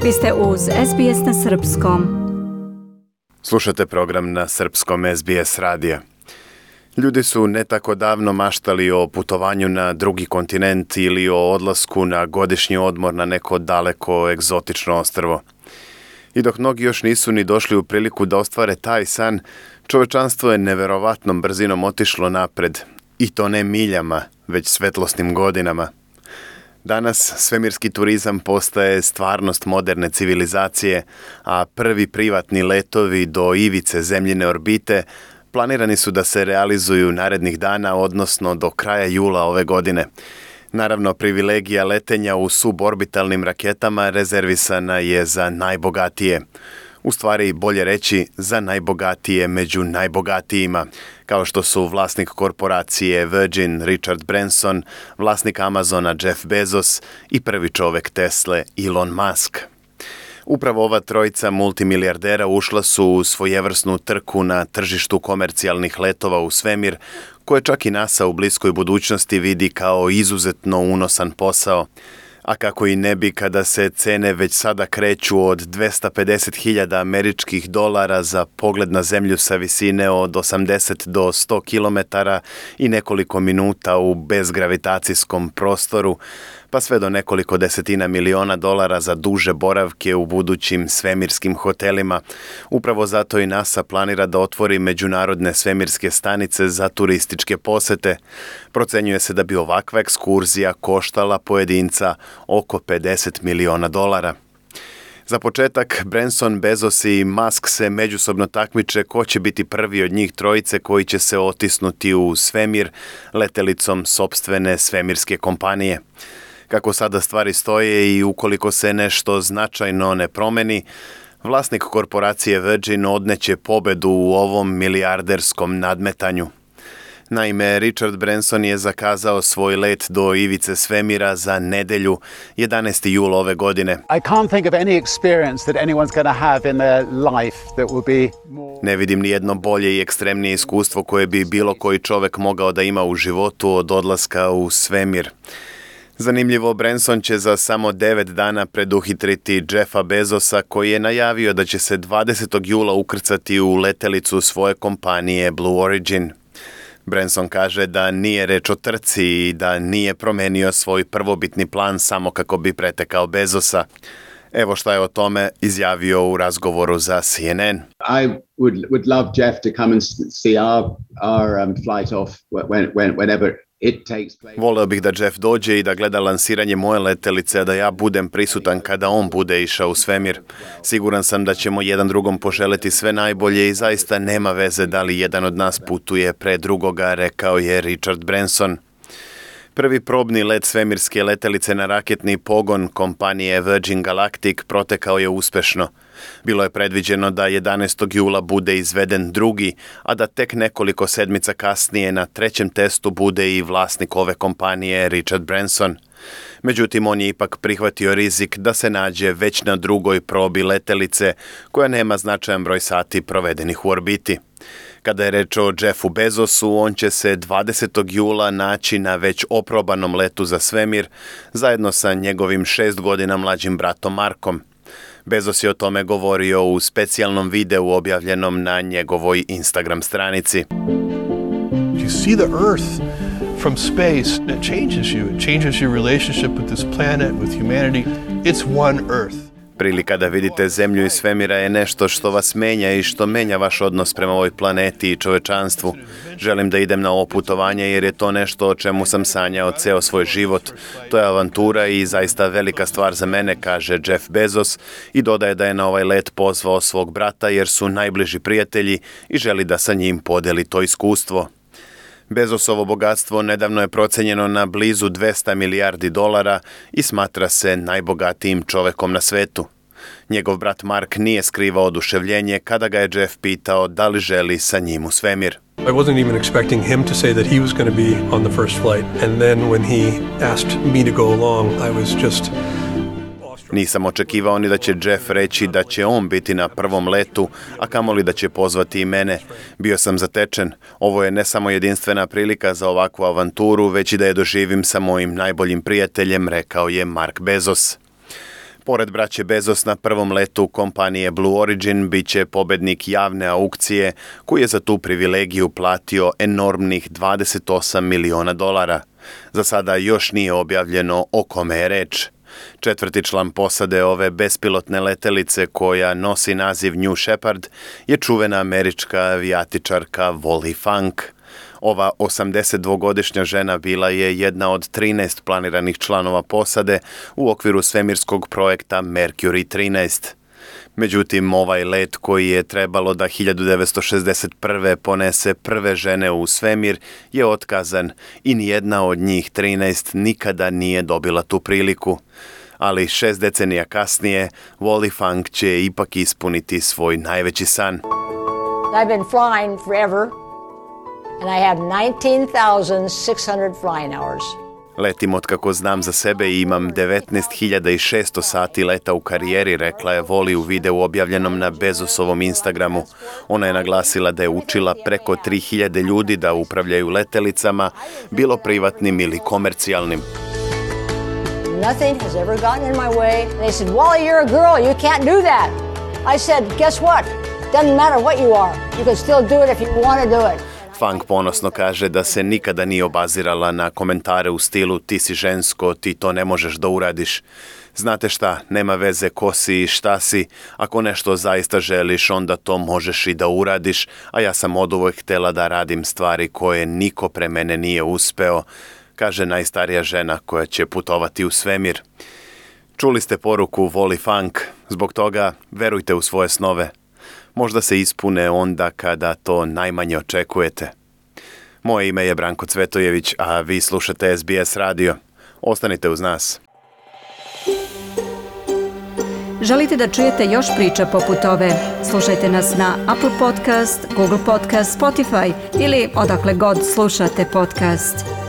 Vi ste uz SBS na Srpskom. Slušate program na Srpskom SBS radija. Ljudi su ne tako davno maštali o putovanju na drugi kontinent ili o odlasku na godišnji odmor na neko daleko egzotično ostrvo. I dok mnogi još nisu ni došli u priliku da ostvare taj san, čovečanstvo je neverovatnom brzinom otišlo napred. I to ne miljama, već svetlosnim godinama. Danas svemirski turizam postaje stvarnost moderne civilizacije, a prvi privatni letovi do ivice zemljine orbite planirani su da se realizuju narednih dana, odnosno do kraja jula ove godine. Naravno, privilegija letenja u suborbitalnim raketama rezervisana je za najbogatije. U stvari, bolje reći, za najbogatije među najbogatijima, kao što su vlasnik korporacije Virgin Richard Branson, vlasnik Amazona Jeff Bezos i prvi čovek Tesle Elon Musk. Upravo ova trojica multimilijardera ušla su u svojevrsnu trku na tržištu komercijalnih letova u svemir, koje čak i NASA u bliskoj budućnosti vidi kao izuzetno unosan posao. A kako i ne bi kada se cene već sada kreću od $250.000 američkih za pogled na zemlju sa visine od 80 do 100 km i nekoliko minuta u bezgravitacijskom prostoru, pa sve do nekoliko desetina miliona dolara za duže boravke u budućim svemirskim hotelima. Upravo zato i NASA planira da otvori međunarodne svemirske stanice za turističke posete. Procenjuje se da bi ovakva ekskurzija koštala pojedinca oko $50 miliona. Za početak, Branson, Bezos i Musk se međusobno takmiče ko će biti prvi od njih trojice koji će se otisnuti u svemir letelicom sopstvene svemirske kompanije. Kako sada stvari stoje i ukoliko se nešto značajno ne promeni, vlasnik korporacije Virgin odneće pobedu u ovom milijarderskom nadmetanju. Naime, Richard Branson je zakazao svoj let do ivice svemira za nedelju, 11. jul ove godine. I can't think of any experience that anyone's going to have in their life that will be more... Ne vidim ni jedno bolje i ekstremnije iskustvo koje bi bilo koji čovek mogao da ima u životu od odlaska u svemir. Zanimljivo, Branson će za samo 9 dana preduhitriti Jeffa Bezosa, koji je najavio da će se 20. jula ukrcati u letelicu svoje kompanije Blue Origin. Branson kaže da nije reč o trci i da nije promenio svoj prvobitni plan samo kako bi pretekao Bezosa. Evo šta je o tome izjavio u razgovoru za CNN. I would love Jeff to come and see our flight off whenever it takes place. Voleo bih da Jeff dođe i da gleda lansiranje moje letelice, a da ja budem prisutan kada on bude išao u svemir. Siguran sam da ćemo jedan drugom poželeti sve najbolje i zaista nema veze da li jedan od nas putuje pre drugoga, rekao je Richard Branson. Prvi probni let svemirske letelice na raketni pogon kompanije Virgin Galactic protekao je uspešno. Bilo je predviđeno da 11. jula bude izveden drugi, a da tek nekoliko sedmica kasnije na trećem testu bude i vlasnik ove kompanije Richard Branson. Međutim, on je ipak prihvatio rizik da se nađe već na drugoj probi letelice, koja nema značajan broj sati provedenih u orbiti. Kada je reč o Jeffu Bezosu, on će se 20. jula naći na već oprobanom letu za svemir, zajedno sa njegovim 6 godina mlađim bratom Markom. Bezos je o tome govorio u specijalnom videu objavljenom na njegovoj Instagram stranici. You see the Earth from space, it changes you. It changes your relationship with this planet, with humanity. It's one Earth. Prilika da vidite zemlju iz svemira je nešto što vas menja i što menja vaš odnos prema ovoj planeti i čovečanstvu. Želim da idem na ovo putovanje jer je to nešto o čemu sam sanjao ceo svoj život. To je avantura i zaista velika stvar za mene, kaže Jeff Bezos i dodaje da je na ovaj let pozvao svog brata jer su najbliži prijatelji i želi da sa njim podeli to iskustvo. Bezosovo bogatstvo nedavno je procenjeno na blizu $200 milijardi i smatra se najbogatijim čovekom na svetu. Njegov brat Mark nije skrivao oduševljenje kada ga je Jeff pitao da li želi sa njim u svemir. I wasn't even expecting him to say that he was going to be on the first flight, and then when he asked me to go along, I was just... Nisam očekivao ni da će Jeff reći da će on biti na prvom letu, a kamoli da će pozvati i mene. Bio sam zatečen. Ovo je ne samo jedinstvena prilika za ovakvu avanturu, već i da je doživim sa mojim najboljim prijateljem, rekao je Mark Bezos. Pored braće Bezos na prvom letu kompanije Blue Origin bit će pobednik javne aukcije koji je za tu privilegiju platio enormnih $28 miliona. Za sada još nije objavljeno o kome je reč. Četvrti član posade ove bespilotne letelice koja nosi naziv New Shepard je čuvena američka avijatičarka Wally Funk. Ova 82-godišnja žena bila je jedna od 13 planiranih članova posade u okviru svemirskog projekta Mercury 13. Međutim, ovaj let koji je trebalo da 1961. ponese prve žene u svemir je otkazan i nijedna od njih 13 nikada nije dobila tu priliku. Ali 6 decenija kasnije, Wally Funk će ipak ispuniti svoj najveći san. I've been flying forever. And I have 19,600 flying hours. Letim otkako znam za sebe i imam 19.600 sati leta u karijeri, rekla je Wally u videu objavljenom na Bezosovom Instagramu. Ona je naglasila da je učila preko 3.000 ljudi da upravljaju letelicama, bilo privatnim ili komercijalnim. Nothing has ever gotten in my way. And they said, Wally, you're a girl, you can't do that. I said, guess what? Doesn't matter what you are. You can still do it if you want to do it. Funk ponosno kaže da se nikada nije obazirala na komentare u stilu ti si žensko, ti to ne možeš da uradiš. Znate šta, nema veze ko si i šta si, ako nešto zaista želiš onda to možeš i da uradiš, a ja sam oduvek htela da radim stvari koje niko pre mene nije uspeo, kaže najstarija žena koja će putovati u svemir. Čuli ste poruku Wally Funk, zbog toga verujte u svoje snove. Možda se ispune onda kada to najmanje očekujete. Moje ime je Branko Cvetojević, a vi slušate SBS radio. Ostanite uz nas. Želite da čujete još priča poput ove? Slušajte nas na Apple Podcast, Google Podcast, Spotify ili odakle god slušate podcast.